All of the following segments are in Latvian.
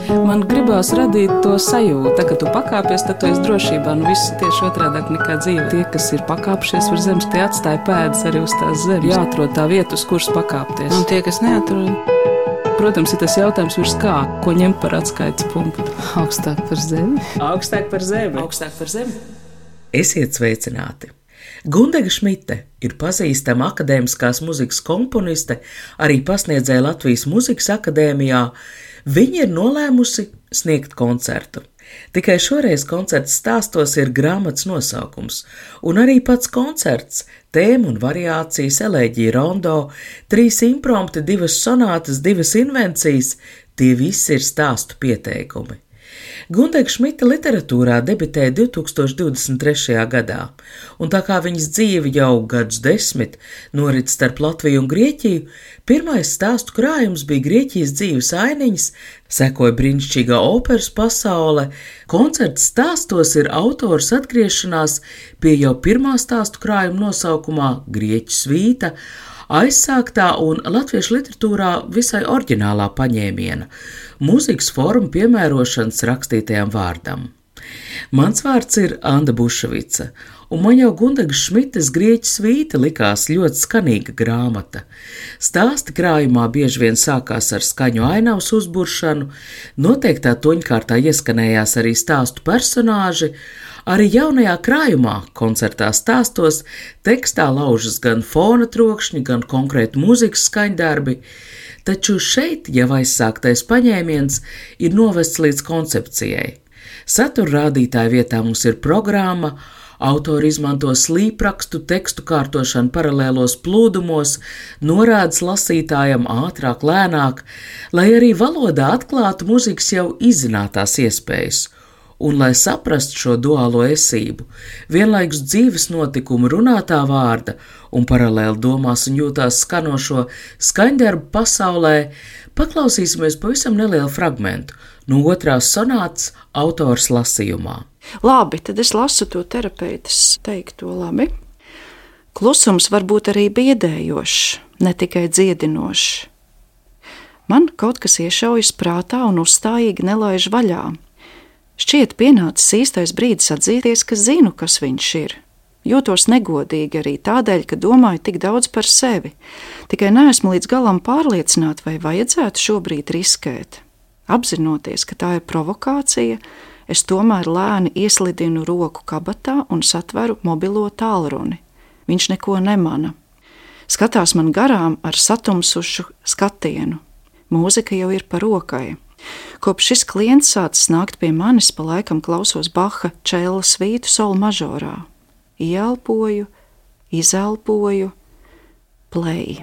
Man gribās radīt to sajūtu, ka tu pakāpies, tad tu esi drošībā. Viss tieši otrādāk nekā dzīve. Tie, kas ir pakāpšies uz zemes, tie atstāja pēdas arī uz tās zemes. Jāatrod tā vieta, uz kuras pakāpties. Un tie, kas neatrod? Protams, ir tas jautājums virs kā, ko ņemt par atskaites punktu. Augstāk par zemi. Augstāk par zemi. Augstāk par zemi. Esiet sveicināti! Gundega Šmite ir pazīstama akadēmiskās muzikas komponiste, arī pasniedzēja Latvijas Muzikas akadēmijā. Viņa ir nolēmusi sniegt koncertu. Tikai šoreiz koncerta stāstos ir grāmatas nosaukums, un arī pats koncerts, tēma un variācijas, elēģija rondo, 3 imprompti, 2 sonātas, 2 invencijas, tie visi ir stāstu pieteikumi. Gundega Šmite literatūrā debitēja 2023. gadā, un tā kā viņas dzīve jau gadus 10 norit starp Latviju un Grieķiju, pirmais stāstu krājums bija Grieķijas dzīves ainiņas, sekoja brīnišķīgā operas pasaule. Koncerta stāstos ir autors atgriešanās pie jau pirmā stāstu krājuma nosaukumā Grieķu svīta, aizsāktā un latviešu literatūrā visai oriģinālā paņēmiena – mūzikas formu piemērošanas rakstītajam vārdam. Mans vārds ir Anda Buševica, un man jau Gundega Šmites Grieķu svīta likās ļoti skanīga grāmata. Stāsti krājumā bieži vien sākās ar skaņu ainavas uzburšanu, noteiktā toņkārtā ieskanējās arī stāstu personāži. Arī jaunajā krājumā, koncertā stāstos, tekstā laužas gan fona trokšņi, gan konkrēti mūzikas skaņdarbi, taču šeit jau aizsāktais paņēmiens ir novests līdz koncepcijai. Satura rādītāja vietā mums ir programma, autori izmanto slīprakstu, tekstu kārtošanu paralēlos plūdumos, norādes lasītājam ātrāk, lēnāk, lai arī valodā atklātu mūzikas jau izzinātās iespējas. Un, lai saprastu šo duālo esību, vienlaikus dzīves notikumu runātā vārda un paralēli domās un jūtās skanošo skaņdarbu pasaulē, paklausīsimies pavisam nelielu fragmentu no 2. sonātas autors lasījumā. Labi, tad es lasu to terapeitas teikto labi. Klusums var būt arī biedējošs, ne tikai dziedinošs. Man kaut kas iešaujas prātā un uzstājīgi nelaiž vaļā. Šķiet pienācis īstais brīdis atzīties, ka zinu, kas viņš ir. Jūtos negodīgi arī tādēļ, ka domāju tik daudz par sevi. Tikai neesmu līdz galam pārliecināta, vai vajadzētu šobrīd riskēt. Apzinoties, ka tā ir provokācija, es tomēr lēni ieslidinu roku kabatā un satveru mobilo tālruni. Viņš neko nemana. Skatās man garām ar satumsušu skatienu. Mūzika jau ir pa rokai. Kopš šis klients sācis nākt pie manis, pa laikam klausos Baha čēla svītu sol mažorā. Ieelpoju, izelpoju, play.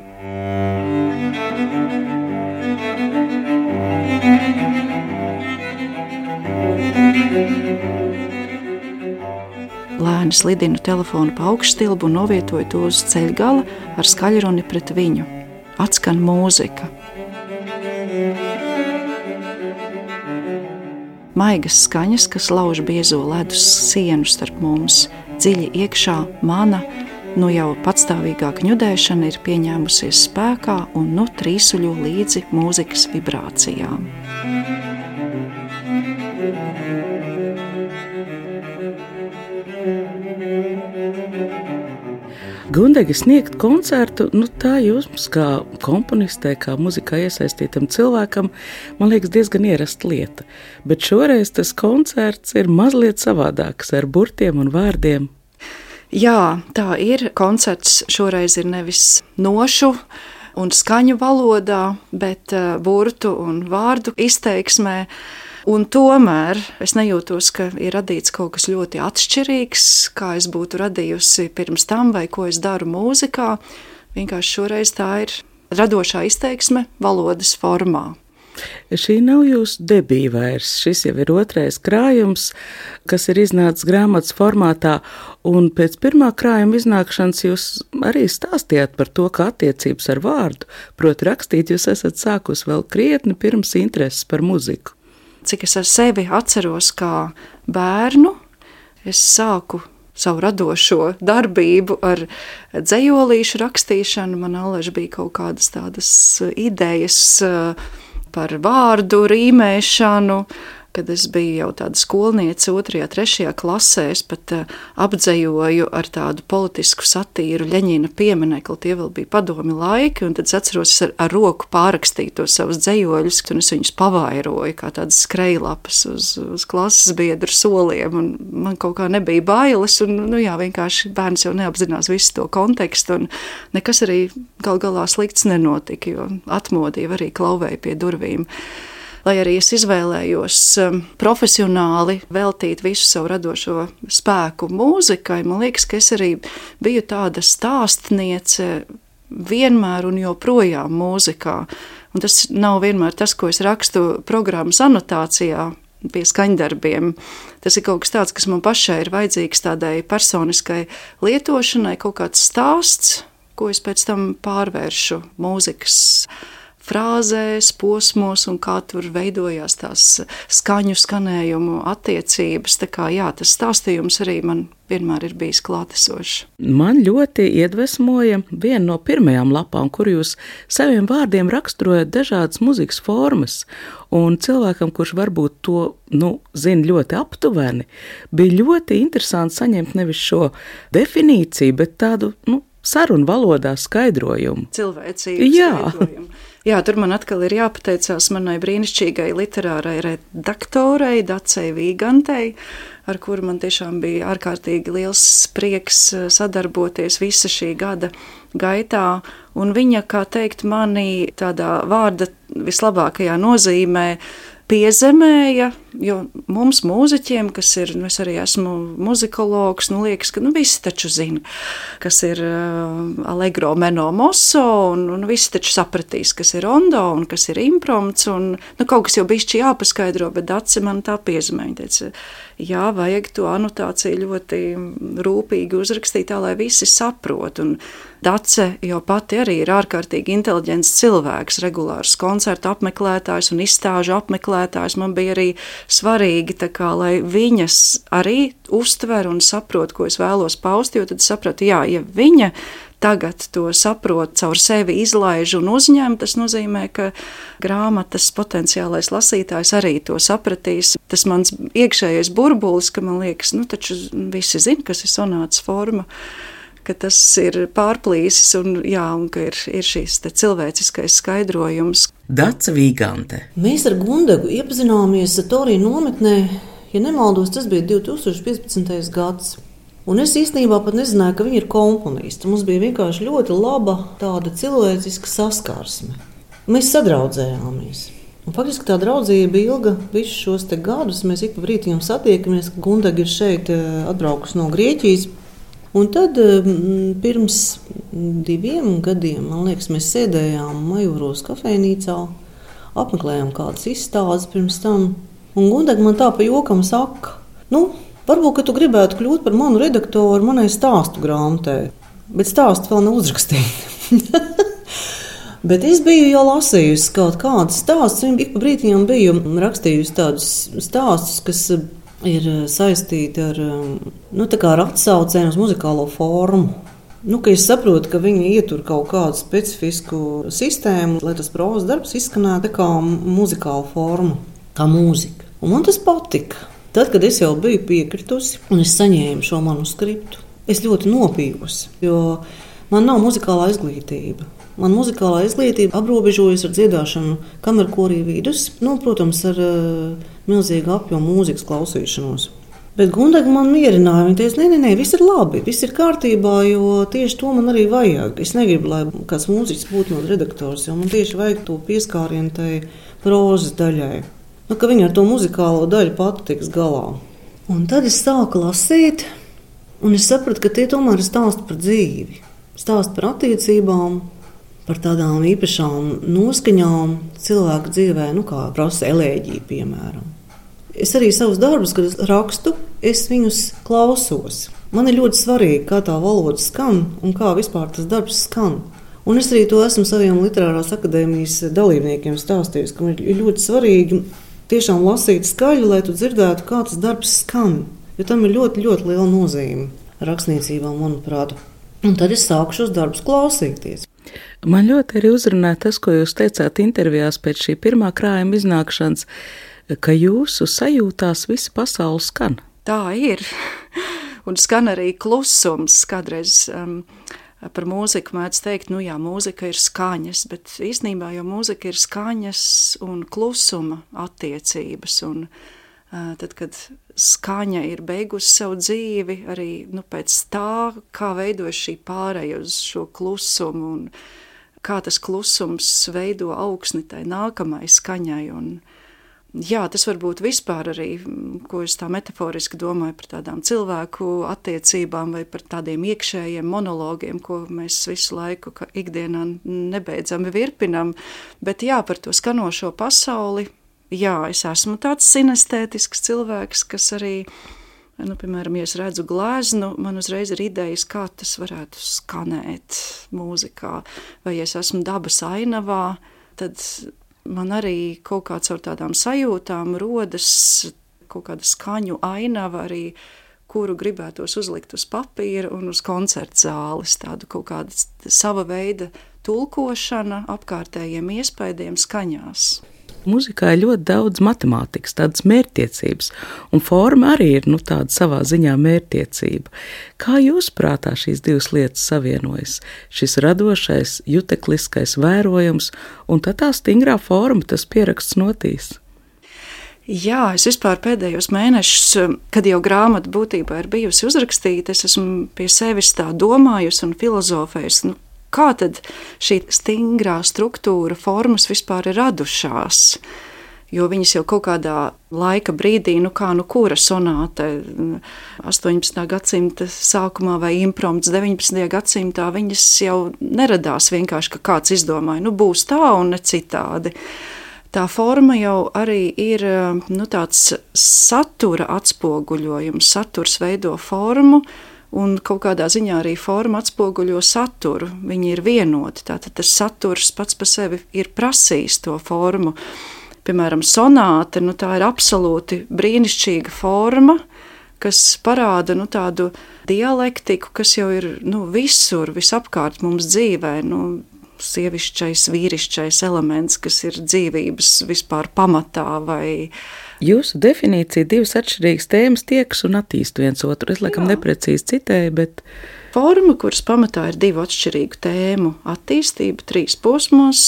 Lēni slidinu telefonu pa augšstilbu un novietoju to uz ceļgala ar skaļruni pret viņu. Atskan mūzika. Maigas skaņas, kas lauž biezo ledus sienu starp mums, dziļi iekšā mana, nu jau patstāvīgāk ņudēšana ir pieņēmusies spēkā un nu trīsuļo līdzi mūzikas vibrācijām. Gundega sniegt koncertu, tā jums kā komponistē, kā muzikā iesaistītam cilvēkam, man liekas diezgan ierasta lieta. Bet šoreiz tas koncerts ir mazliet savādāks ar burtiem un vārdiem. Jā, tā ir. Koncerts šoreiz ir nevis nošu un skaņu valodā, bet burtu un vārdu izteiksmē. Un tomēr es nejūtos, ka ir radīts kaut kas ļoti atšķirīgs, kā es būtu radījusi pirms tam vai ko es daru mūzikā. Vienkārši šoreiz tā ir radošā izteiksme valodas formā. Šī nav jūsu debija vairs. Šis jau ir 2. krājums, kas ir iznācis grāmatas formātā, un pēc pirmā krājuma iznākšanas jūs arī stāstījāt par to, ka attiecības ar vārdu, proti rakstīt, jūs esat sākus vēl krietni pirms intereses par muziku. Cik es ar sevi atceros kā bērnu, es sāku savu radošo darbību ar dzejolīšu rakstīšanu. Man allaž bija kaut kādas tādas idejas par vārdu rīmēšanu. Kad es biju jau tāda skolniece 2., 3. klasē, es pat apdzejoju ar tādu politisku satīru Ļeņina pieminekli. Tie vēl bija padomi laiki, un tad es atceros, ar roku pārrakstīju tos savus dzejoļus, un es viņus pavairoju kā tādas skrejlapas uz klases biedru soliem, un man kaut kā nebija bailes, un vienkārši bērns jau neapzinās visu to kontekstu, un nekas arī gal galā slikts nenotika, jo atmodīja arī klauvēja pie durvīm. Lai arī es izvēlējos profesionāli veltīt visu savu radošo spēku mūzikai, man liekas, ka es arī biju tāda stāstniece vienmēr un joprojām mūzikā. Un tas nav vienmēr tas, ko es rakstu programmas anotācijā pie skaņdarbiem. Tas ir kaut kas tāds, kas man pašai ir vajadzīgs tādai personiskai lietošanai, kaut kāds stāsts, ko es pēc tam pārvēršu mūzikas frāzēs, posmos un kā tur veidojās tās skaņu, skanējumu attiecības. Tā kā tas stāstījums arī man vienmēr ir bijis klātesošs. Man ļoti iedvesmoja viena no pirmajām lapām, kur jūs saviem vārdiem raksturojat dažādas muzikas formas, un cilvēkam, kurš varbūt to, zina ļoti aptuveni, bija ļoti interesanti saņemt nevis šo definīciju, bet tādu, sarunu valodā skaidrojumu. Cilvēcīgu skaidrojumu. Jā, tur man atkal ir jāpateicās manai brīnišķīgai literārai redaktorei Dacei Vīgantei, ar kuru man tiešām bija ārkārtīgi liels prieks sadarboties visa šī gada gaitā. Un viņa, kā teikt, mani tādā vārda vislabākajā nozīmē piezemēja, jo mums mūziķiem, kas ir, es arī esmu muzikologs, liekas, ka visi taču zina, kas ir allegro meno mosso, un visi taču sapratīs, kas ir rondo un kas ir imprompts, un kaut kas jau bišķi jāpaskaidro, bet Dace man tā piezemēja. Viņa teica, jā, vajag to anotāciju ļoti rūpīgi uzrakstīt tā, lai visi saprot, un Dace jau pati arī ir ārkārtīgi inteliģents cilvēks, regulārs koncertu apmeklētājs un izstāžu apmeklētājs. Man bija arī svarīgi, lai viņas arī uztver un saprot, ko es vēlos paust, jo tad sapratu, ja viņa tagad to saprot, caur sevi izlaiž un uzņem, tas nozīmē, ka grāmatas potenciālais lasītājs arī to sapratīs. Tas mans iekšējais burbulis, ka man liekas, taču visi zina, kas ir sonātas forma, ka tas ir pārplīsis un ka ir šīs cilvēciskais skaidrojums. Dace Vīgante. Mēs ar Gundegu iepazināmies Torija nometnē, ja nemaldos, tas bija 2015. gads. Un es īstenībā pat nezināju, ka viņa ir komponiste. Mums bija vienkārši ļoti laba tāda cilvēciska saskarsme. Mēs sadraudzējāmies. Un faktiski tā draudzība bija ilga visus šos gadus. Mēs ik pa brītiem satiekamies, ka Gundega ir šeit atbraukusi no Grieķijas. Un tad pirms 2 gadiem, man liekas, mēs sēdējām Majoros kafejnīcā, apmeklējām kādas izstādes pirms tam. Un Gundega man tā pa jokam saka, varbūt, ka tu gribētu kļūt par manu redaktoru manai stāstu grāmatai, bet stāstu vēl nav uzrakstīta. Bet es biju jau lasījusi kaut kādas stāstus, un ik pa brītiem biju rakstījusi tādus stāstus, kas ir saistīti ar atsaucēm uz muzikālo formu. Ka es saprotu, ka viņi ietur kaut kādu specifisku sistēmu, lai tas prózas darbs izskanētu kā muzikāla forma, kā mūzika. Un man tas patika. Tad, kad es jau biju piekritusi un es saņēmu šo manuskriptu, es ļoti nopījusi, jo man nav muzikālā izglītība. Man muzikālā izglītība aprobežojas ar dziedāšanu kamerkorī vidus, protams, ar milzīgu apjomu mūzikas klausīšanos. Bet Gundega man mierināja, viņa teica, nē, viss ir labi, viss ir kārtībā, jo tieši to man arī vajag. Es negribu, lai kāds mūziķis būtu no redaktors, jo man tieši vajag to pieskārienu tai prózas daļai. Ka viņa ar to muzikālo daļu pati tiks galā. Un tad es sāku lasīt, un es sapratu, ka tie tomēr ir stāsti par dzīvi, stāsti par attiecībām, par tādām īpašām noskaņām cilvēku dzīvē, kā prasa elēģija, piemēram. Es arī savus darbus, kad es rakstu, es viņus klausos. Man ir ļoti svarīgi, kā tā valoda skan un kā vispār tas darbs skan. Un es arī to esmu saviem Literārās akadēmijas dalībniekiem stāstījusi, ka man ir ļoti svarīgi tiešām lasīt skaļi, lai tu dzirdētu, kā tas darbs skan. Jo tam ir ļoti, ļoti liela nozīme rakstniecībā, manuprāt. Un tad es sāku šos darbus klausīties. Man ļoti arī uzrunāja tas, ko jūs teicāt intervijās pēc šī pirmā krājuma iznākšanas, ka jūsu sajūtās visa pasaule skan. Tā ir. Un skan arī klusums. Kādreiz par mūziku mēdz teikt, nu jā, mūzika ir skaņas, bet īstenībā jau mūzika ir skaņas un klusuma attiecības. Un tad, kad skaņa ir beigusi savu dzīvi, arī pēc tā, kā veidojas šī pāreja uz šo klusumu un kā tas klusums veido augsni tai nākamai skaņai. Un, jā, tas varbūt vispār arī, ko es tā metaforiski domāju par tādām cilvēku attiecībām vai par tādiem iekšējiem monologiem, ko mēs visu laiku ikdienā nebeidzami virpinam. Bet jā, par to skanošo pasauli, jā, es esmu tāds sinestētisks cilvēks, kas arī, piemēram, ja es redzu gleznu, man uzreiz ir idejas, kā tas varētu skanēt mūzikā. Vai ja es esmu dabas ainavā, tad man arī kaut kāds ar tādām sajūtām rodas kaut kāda skaņu ainava arī, kuru gribētos uzlikt uz papīra un uz koncerta zāles. Tādu kaut kāda sava veida tulkošana apkārtējiem iespaidiem skaņās. Mūzikā ir ļoti daudz matemātikas, tādas mērķtiecības, un forma arī ir tāda savā ziņā mērķtiecība. Kā jūs prātā šīs divas lietas savienojas? Šis radošais, jutekliskais vērojums un tā stingrā forma, tas pieraksts notīs. Jā, es vispār pēdējos mēnešus, kad jau grāmata būtībā ir bijusi uzrakstīta, es esmu pie sevis tā domājusi un filozofējusi, kā tad šī stingrā struktūra, formas vispār ir radušās? Jo viņas jau kaut kādā laika brīdī, kura sonāte 18. gadsimta sākumā vai imprompts 19. gadsimtā, viņas jau neradās vienkārši, ka kāds izdomāja, būs tā un ne citādi. Tā forma jau arī ir tāds satura atspoguļojums, saturs veido formu, un kaut kādā ziņā arī forma atspoguļo saturu. Viņi ir vienoti, tātad tas saturs pats par sevi ir prasījis to formu. Piemēram, sonāte, tā ir absolūti brīnišķīga forma, kas parāda tādu dialektiku, kas jau ir visur, visapkārt mums dzīvē, sievišķais, vīrišķais elements, kas ir dzīvības vispār pamatā vai... Jūsu definīcija divas atšķirīgas tēmas tiekas un attīst viens otru. Es laikam neprecīzi citēju, bet... Forma, kuras pamatā ir divu atšķirīgu tēmu attīstība 3 posmos,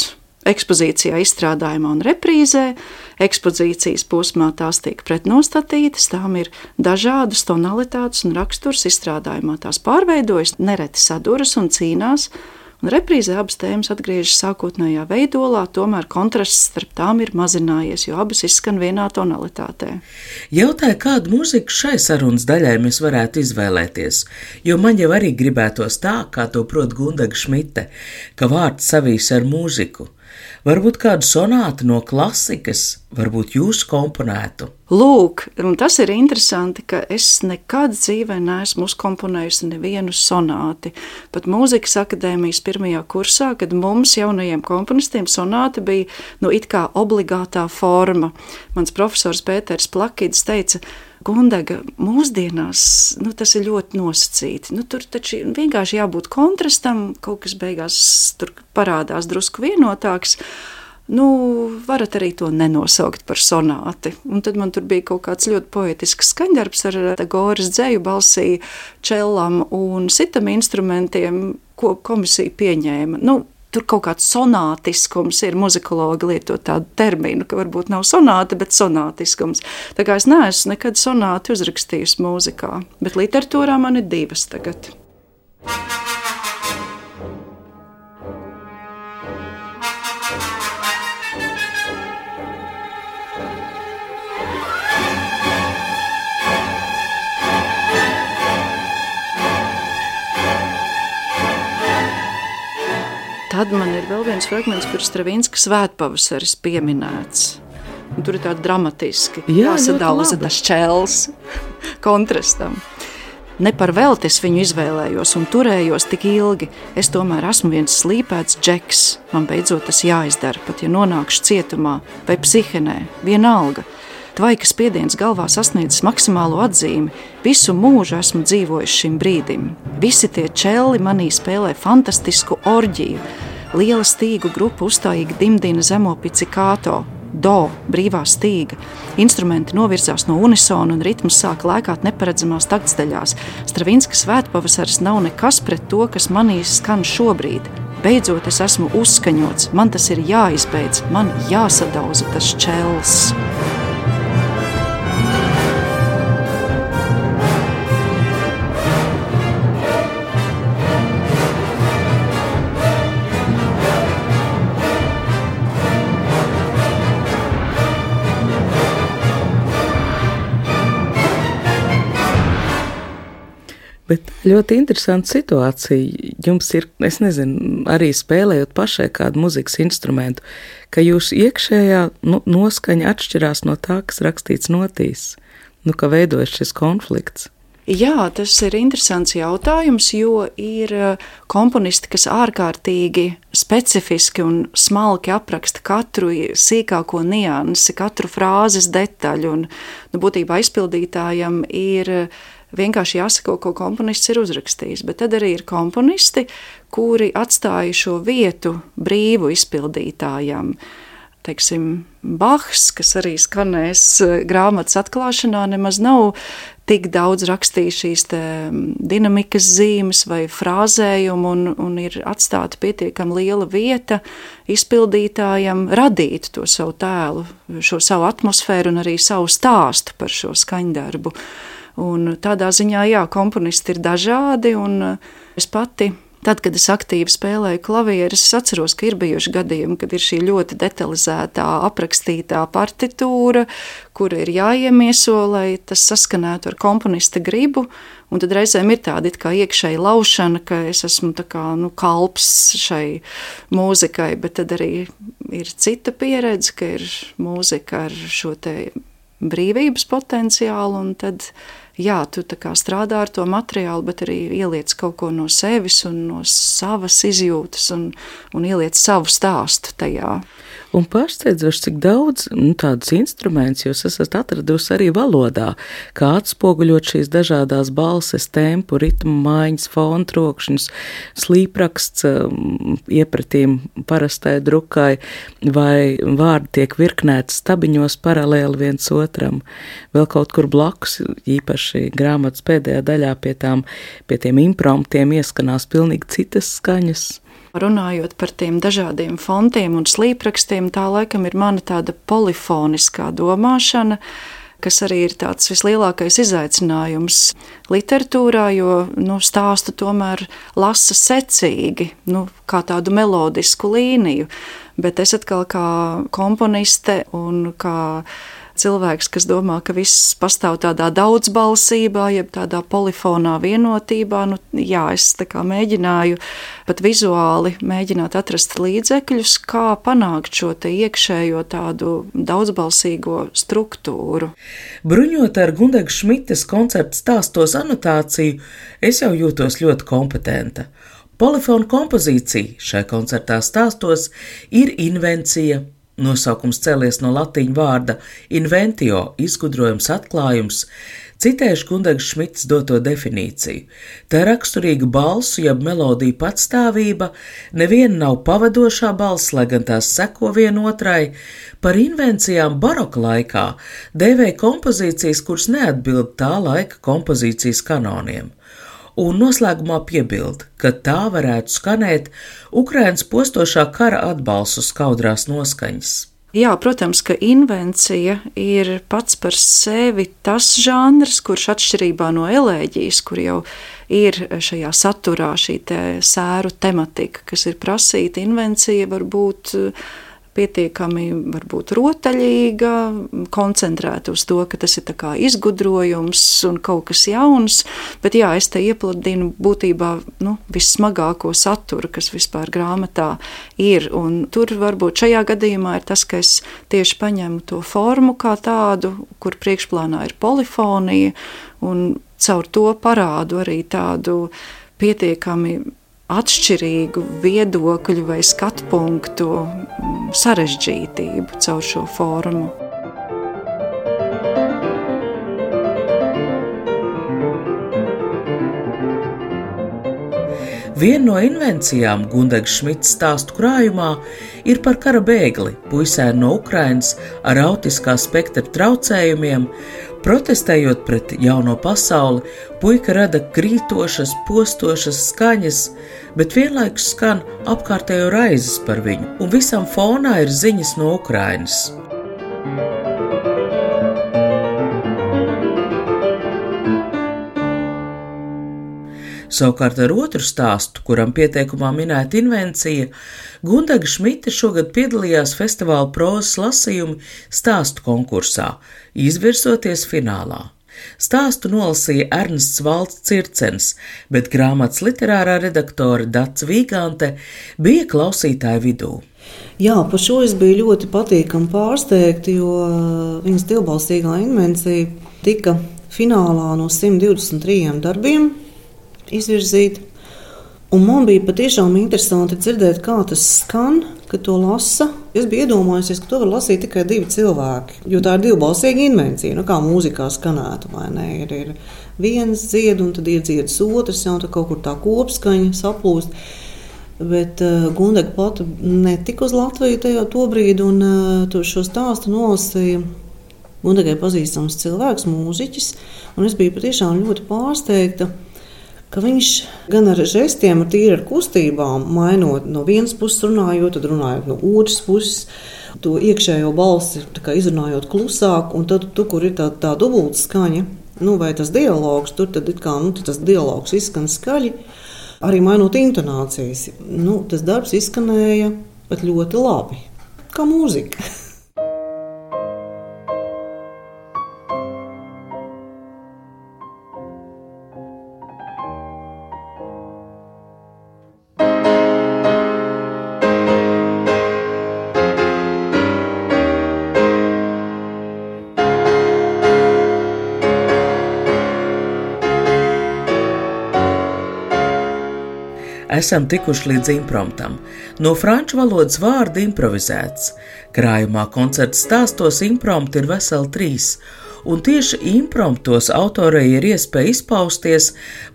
ekspozīcijā, izstrādājumā un reprīzē. Ekspozīcijas posmā tās tiek pretnostatītas, tām ir dažādas tonalitātes un raksturs, izstrādājumā tās pārveidojas, nereti saduras un cīnās, un reprīzē abas tēmas atgriežas sākotnējā veidolā, tomēr kontrasts starp tām ir mazinājies, jo abas izskan vienā tonalitātē. Jautāju, kādu mūziku šai sarunas daļai mēs varētu izvēlēties, jo man jau arī gribētos tā, kā to prot Gundaga Šmite, ka vārds savīs ar mūziku. Varbūt kādu sonātu no klasikas, varbūt jūs komponētu. Lūk, un tas ir interesanti, ka es nekad dzīvē neesmu uzkomponējusi nevienu sonāti. Pat mūzikas akadēmijas pirmajā kursā, kad mums jaunajiem komponistiem sonāti bija it kā obligātā forma. Mans profesors Pēters Plakidis teica, Gundaga, mūsdienās tas ir ļoti nosacīti. Tur taču vienkārši jābūt kontrastam, kaut kas beigās tur parādās drusku vienotāks. Varat arī to nenosaukt par sonāti. Un tad man tur bija kaut kāds ļoti poetisks skaņdarbs ar Goras dzeju balsī, čellam un citam instrumentiem, ko komisija pieņēma. Tur kaut kāds sonātiskums ir, muzikologi lieto tādu terminu, ka varbūt nav sonāta, bet sonātiskums. Tā kā es neesmu nekad sonāti uzrakstījusi mūzikā, bet literatūrā man ir 2 tagad. Tad man ir vēl viens fragments, kur Stravinska Svētpavasaris pieminēts. Un tur ir tādi dramatiski jāsadauza tas čels kontrastam. Ne par velti es viņu izvēlējos un turējos tik ilgi. Es tomēr esmu viens slīpēts džeks. Man beidzot tas jāizdara, pat ja nonākšu cietumā vai psihenē, vienalga. Tvaikas spiediens galvā sasniedzis maksimālo atzīmi. Visu mūžu esmu dzīvojis šim brīdim. Visi tie čelli manī spēlē fantastisku orģiju. liela stīgu grupa uzstājīgi dimdina zemo pizzicato, do, brīvā stīga. Instrumenti novirzās no unisona un ritms sāk lēkāt neparedzamās taktsteļās. Stravinska svētpavasaris nav nekas pret to, kas manī skan šobrīd. Beidzot es esmu uzskaņots, man tas ir jāizbeidz, man jāsadauza tas čels. Bet ļoti interesanta situācija. Jums ir, es nezinu, arī spēlējot pašai kādu muzikas instrumentu, ka jūsu iekšējā noskaņa atšķirās no tā, kas rakstīts notīs. Ka veidojas šis konflikts. Jā, tas ir interesants jautājums, jo ir komponisti, kas ārkārtīgi specifiski un smalki apraksta katru sīkāko niansi, katru frāzes detaļu, un būtībā izpildītājam ir vienkārši jāsako, ko komponists ir uzrakstījis, bet tad arī ir komponisti, kuri atstāja šo vietu brīvu izpildītājam. Teiksim, Bachs, kas arī skanēs grāmatas atklāšanā, nemaz nav tik daudz rakstījis šīs dinamikas zīmes vai frāzējumu un ir atstāta pietiekami liela vieta izpildītājam radīt to savu tēlu, šo savu atmosfēru un arī savu stāstu par šo skaņdarbu. Un tādā ziņā, jā, komponisti ir dažādi, un es pati, tad, kad es aktīvi spēlēju klavieres, es atceros, ka ir bijuši gadījumi, kad ir šī ļoti detalizētā, aprakstītā partitūra, kura ir jāiemieso, lai tas saskanētu ar komponista gribu, un tad reizēm ir tāda it kā iekšēja laušana, ka es esmu tā kā, kalps šai mūzikai, bet tad arī ir cita pieredze, ka ir mūzika ar šo te brīvības potenciālu, un tad jā, tu tā kā strādā ar to materiālu, bet arī ieliec kaut ko no sevis un no savas izjūtas un ieliec savu stāstu tajā. Un pārsteidzoši, cik daudz tādus instrumentus jūs esat atradusi arī valodā, kā atspoguļot šīs dažādās balses, tempu, ritmu maiņas, fonu trokšņus, slīpraksts iepratīm parastai drukai, vai vārdi tiek virknēti stabiņos paralēli viens otram. Vēl kaut kur blakus, īpaši grāmatas pēdējā daļā pie tiem impromptiem ieskanās pilnīgi citas skaņas. Runājot par tiem dažādiem fontiem un slīprakstiem, tā laikam ir mana tāda polifoniskā domāšana, kas arī ir tāds vislielākais izaicinājums literatūrā, jo stāstu tomēr lasa secīgi, kā tādu melodisku līniju, bet es atkal kā komponiste un kā cilvēks, kas domā, ka viss pastāv tādā daudzbalsībā, jeb tādā polifonā vienotībā, es tā kā mēģināju pat vizuāli mēģināt atrast līdzekļus, kā panākt šo te iekšējo tādu daudzbalsīgo struktūru. Bruņot ar Gundegas Šmites koncerta stāstos anotāciju, es jau jūtos ļoti kompetenta. Polifona kompozīcija šai koncertā stāstos ir invencija. Nosaukums cēlies no latīņu vārda inventio, izgudrojums, atklājums, citējuši Gundegas Šmites doto definīciju. Tā raksturīga balsu, jeb melodiju patstāvība, neviena nav pavadošā balss, lai gan tās seko vienotrai. Par invencijām baroka laikā dēvēja kompozīcijas, kuras neatbild tā laika kompozīcijas kanoniem. Un noslēgumā piebild, ka tā varētu skanēt Ukrainas postošā kara atbalstu skaudrās noskaņas. Jā, protams, ka invencija ir pats par sevi tas žanrs, kurš atšķirībā no elēģijas, kur jau ir šajā saturā šī sēru tematika, kas ir prasīta, invencija var būt pietiekami varbūt rotaļīga, koncentrēta uz to, ka tas ir tā kā izgudrojums un kaut kas jauns, bet jā, es te iepludinu būtībā vissmagāko saturu, kas vispār grāmatā ir, un tur varbūt šajā gadījumā ir tas, ka es tieši paņemu to formu kā tādu, kur priekšplānā ir polifonija, un caur to parādu arī tādu pietiekami atšķirīgu viedokļu vai skatpunktu sarežģītību caur šo formu. Viena no invencijām Gundegas Šmitas stāstu krājumā ir par kara bēgli, puisēnu no Ukrainas ar autiskā spektra traucējumiem. Protestējot pret jauno pasauli, puika rada krītošas, postošas skaņas, bet vienlaikus skan apkārtējo raizes par viņu, un visam fonā ir ziņas no Ukrainas. Savukārt ar otru stāstu, kuram pieteikumā minēta invencija, Gundega Šmita šogad piedalījās festivāla prozas lasījuma stāstu konkursā, izvirsoties finālā. Stāstu nolasīja Ernests Valds Circens, bet grāmatas literārā redaktore Dace Vīgante bija klausītāju vidū. Jā, par šo es biju ļoti patīkami pārsteigta, jo viņas divbalsīgā invencija tika finālā no 123 darbiem izvirzīta. Un man bija patiešām interesanti dzirdēt, kā tas skan, kad to lasa. Es biju iedomājusies, ka to var lasīt tikai 2 cilvēki, jo tā ir divbalsīga invencija, kā mūzikā skanētu, vai ne? Ir viens dzied, un tad iedziedis otrs, un tad kaut kur tā kopskaņa saplūst. Bet Gundega pati netika uz Latviju tajā tobrīd, un šo stāstu nolasīja Gundegai pazīstams cilvēks, mūziķis, un es biju patiešām ļoti pārsteigta, ka viņš gan ar žestiem, tīri ar kustībām, mainot no vienas puses runājot, tad runājot no otras puses, to iekšējo balsi izrunājot klusāk, un tad, kur ir tā dubulta skaņa, vai tas dialogs, tur tad tas dialogs izskan skaļi, arī mainot intonācijas. Tas darbs izskanēja pat ļoti labi, kā mūzika. Esam tikuši līdz impromptam. No franču valodas vārda improvizēts. Krājumā koncerta stāstos imprompti ir veseli 3, un tieši impromptos autorei ir iespēja izpausties,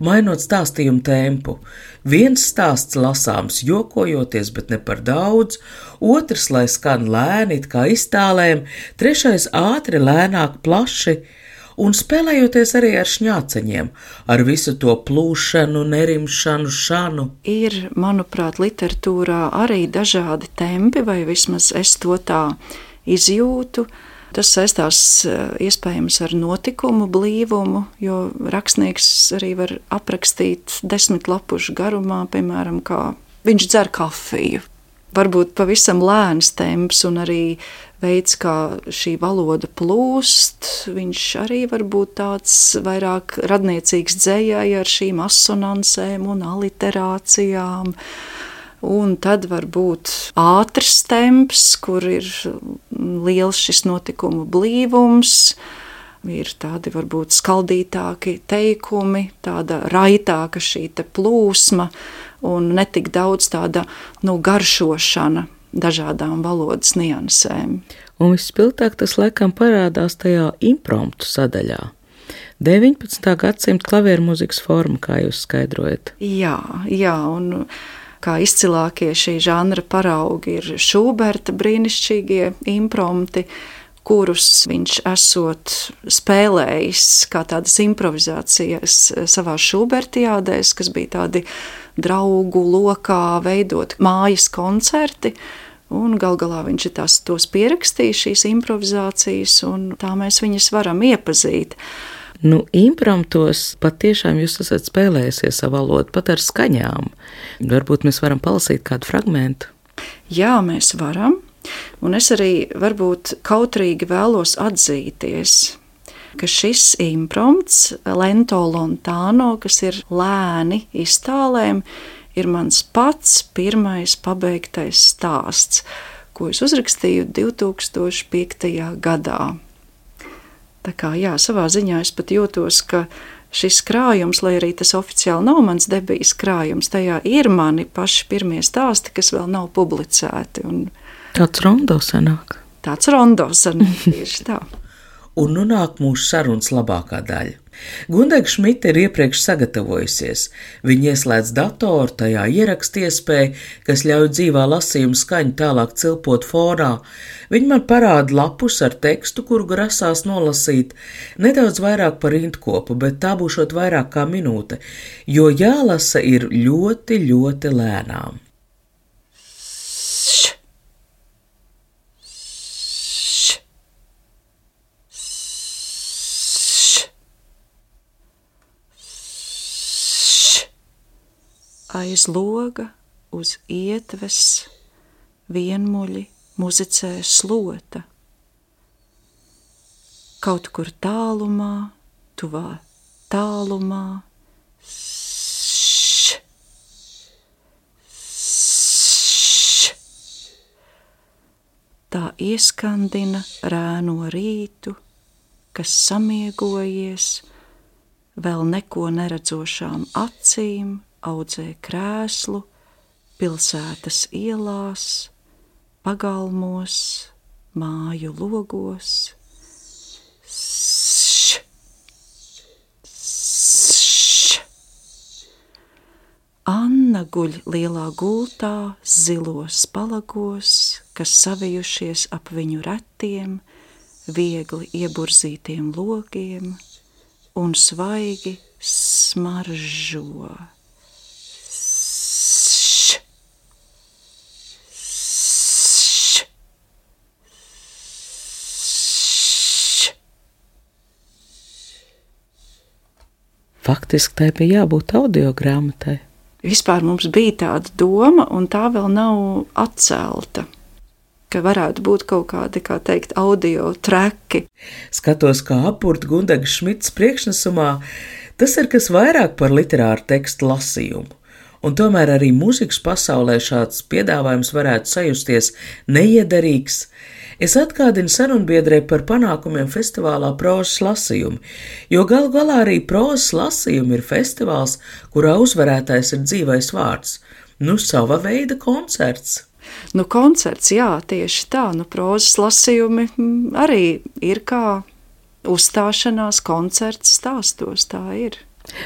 mainot stāstījumu tempu. Viens stāsts lasāms jokojoties, bet ne par daudz, otrs, lai skan lēni, it kā iztālēm, trešais ātri, lēnāk, plaši, un spēlējoties arī ar šņāceņiem, ar visu to plūšanu, nerimšanu, šanu. Ir, manuprāt, literatūrā arī dažādi tempi, vai vismaz es to tā izjūtu. Tas saistās iespējams ar notikumu blīvumu, jo rakstnieks arī var aprakstīt 10 lapušu garumā, piemēram, kā viņš dzer kafiju. Varbūt pavisam lēns temps un arī veids, kā šī valoda plūst, viņš arī var būt tāds vairāk radniecīgs dzējai ar šīm asonansēm un aliterācijām. Un tad var būt ātrs temps, kur ir liels šis notikumu blīvums, ir tādi varbūt skaldītāki teikumi, tāda raitāka šī te plūsma un netik daudz tāda garšošana dažādām valodas niansēm. Un vispilgtāk tas laikam parādās tajā impromptu sadaļā. 19. gadsimta klavieru mūzikas forma, kā jūs skaidrojat. Jā, un kā izcilākie šī žanra paraugi ir Šuberta brīnišķīgie imprompti, kurus viņš esot spēlējis kā tādas improvizācijas savā Šubertiādēs, kas bija tādi draugu lokā veidot mājas koncerti, un gal galā viņš ir tos pierakstījis, šīs improvizācijas, un tā mēs viņas varam iepazīt. Impromptos patiešām jūs esat spēlējusies savu valodu, pat ar skaņām. Varbūt mēs varam palasīt kādu fragmentu. Jā, mēs varam. Un es arī varbūt kautrīgi vēlos atzīties, ka šis imprompts, lento lontano, kas ir lēni iztālēm, ir mans pats pirmais pabeigtais stāsts, ko es uzrakstīju 2005. gadā. Tā kā savā ziņā es pat jūtos, ka šis krājums, lai arī tas oficiāli nav mans debijas krājums, tajā ir mani paši pirmie stāsti, kas vēl nav publicēti. Tāds rondo sanāk. Tāds rondo sanāk, tieši tā. Un nāk mūsu sarunas labākā daļa. Gundega Šmite ir iepriekš sagatavojusies. Viņa ieslēdz datoru, tajā ieraksta iespēju, kas ļauj dzīvā lasījuma skaņu tālāk cilpot fonā. Viņa man parāda lapus ar tekstu, kuru grasās nolasīt nedaudz vairāk par rindkopu, bet tā būšot vairāk kā minūte, jo jālasa ir ļoti, ļoti lēnām. Aiz loga, uz ietves, vienmuļi muzicē slota. Kaut kur tālumā, tuvā tālumā, š, š. Tā ieskandina rēno rītu, kas samiegojies, vēl neko neredzošām acīm, audzē krēslu, pilsētas ielās, pagalmos, māju logos. Š, š. Anna guļ lielā gultā, zilos palagos, kas savijušies ap viņu retiem, viegli ieburzītiem logiem un svaigi smaržo. Faktiski tai bija jābūt audiogrāmatai. Vispār mums bija tāda doma, un tā vēl nav atcelta, ka varētu būt kaut kādi, kā teikt, audio treki. Skatos, kā apburta Gundega Šmites priekšnesumā, tas ir kas vairāk par literāru tekstu lasījumu. Un tomēr arī mūzikas pasaulē šāds piedāvājums varētu sajusties neiederīgs. Es atgādinu sarunbiedrē par panākumiem festivālā Prozas lasījumi, jo galu galā arī Prozas lasījumi ir festivāls, kurā uzvarētājs ir dzīvais vārds. Sava veida koncerts. Koncerts, jā, tieši tā. Prozas lasījumi arī ir kā uzstāšanās koncerts stāstos, tā ir.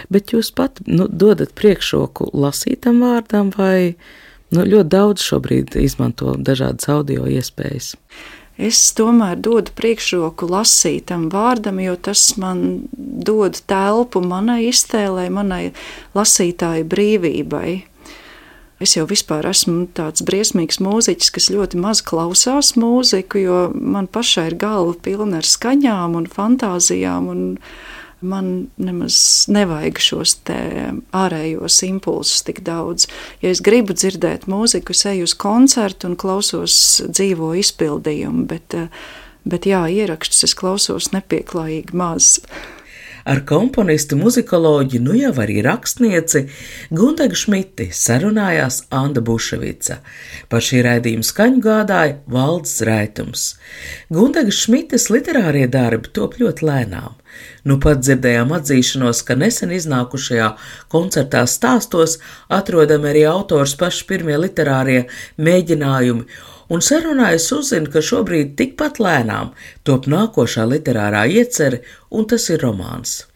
Bet jūs pat dodat priekšroku lasītam vārdam vai ļoti daudz šobrīd izmanto dažādas audio iespējas? Es tomēr dodu priekšroku lasītam vārdam, jo tas man dod telpu manai iztēlei, manai lasītāju brīvībai. Es jau vispār esmu tāds briesmīgs mūziķis, kas ļoti maz klausās mūziku, jo man pašai ir galva pilna ar skaņām un fantāzijām, un man nemaz nevajag šos te ārējos impulsus tik daudz. Ja es gribu dzirdēt mūziku, es eju uz koncertu un klausos dzīvo izpildījumu, bet jā, ierakstus es klausos nepieklājīgi maz. Ar komponistu, muzikoloģi, jau arī rakstnieci Gundegu Šmiti sarunājās Anda Buševica. Par šī raidījuma skaņu gādāja Valds Raitums. Gundega Šmites literārie darbi top ļoti lēnām. Pat dzirdējām atzīšanos, ka nesen iznākušajā koncertā stāstos atrodami arī autors paši pirmie literārie mēģinājumi, un sarunājas uzzina, ka šobrīd tikpat lēnām top nākošā literārā iecere, un tas ir romāns.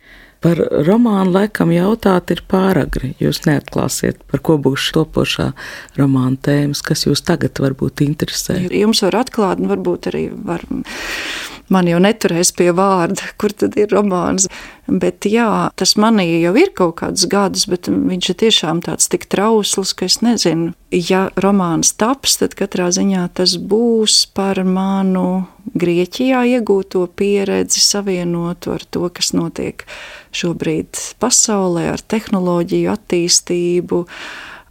Par romānu laikam jautāt ir pāragri. Jūs neatklāsiet, par ko būs topošā romāna tēmas, kas jūs tagad varbūt interesē. Jums var atklāt, un varbūt arī var... Man jau neturēs pie vārda, kur tad ir romāns. Bet jā, tas manī jau ir kaut kādus gadus, bet viņš ir tiešām tāds tik trausls, ka es nezinu. Ja romāns taps, tad katrā ziņā tas būs par manu Grieķijā iegūto pieredzi, savienotu ar to, kas notiek šobrīd pasaulē, ar tehnoloģiju attīstību.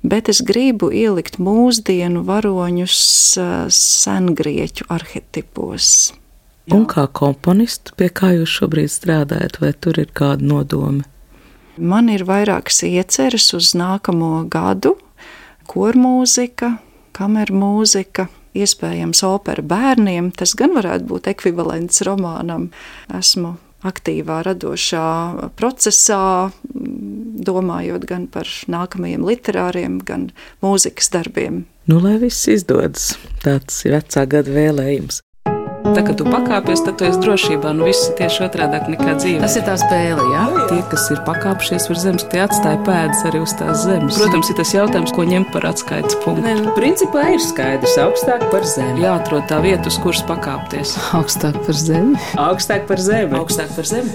Bet es gribu ielikt mūsdienu varoņus sengrieķu arhetipos. Un kā komponists, pie kā jūs šobrīd strādājat, vai tur ir kāda nodome? Man ir vairākas ieceres uz nākamo gadu. Kormūzika, kamermūzika, iespējams opera bērniem. Tas gan varētu būt ekvivalents romānam. Esmu aktīvā radošā procesā, domājot gan par nākamajiem literāriem, gan mūzikas darbiem. Lai viss izdodas, tāds ir vecā gada vēlējums. Tā, kad tu pakāpies, tad tu esi drošībā. Nu, viss ir tieši otrādāk nekā dzīve. Tas ir tā spēle, jā? Tie, kas ir pakāpšies virs zemes, tie atstāja pēdas arī uz tās zemes. Protams, ir tas jautājums, ko ņemt par atskaites punktu. Principā ir skaidrs, augstāk par zemi. Jāatrod tā vieta, uz kuras pakāpties. Augstāk par zemi. Augstāk par zemi. Augstāk par zemi.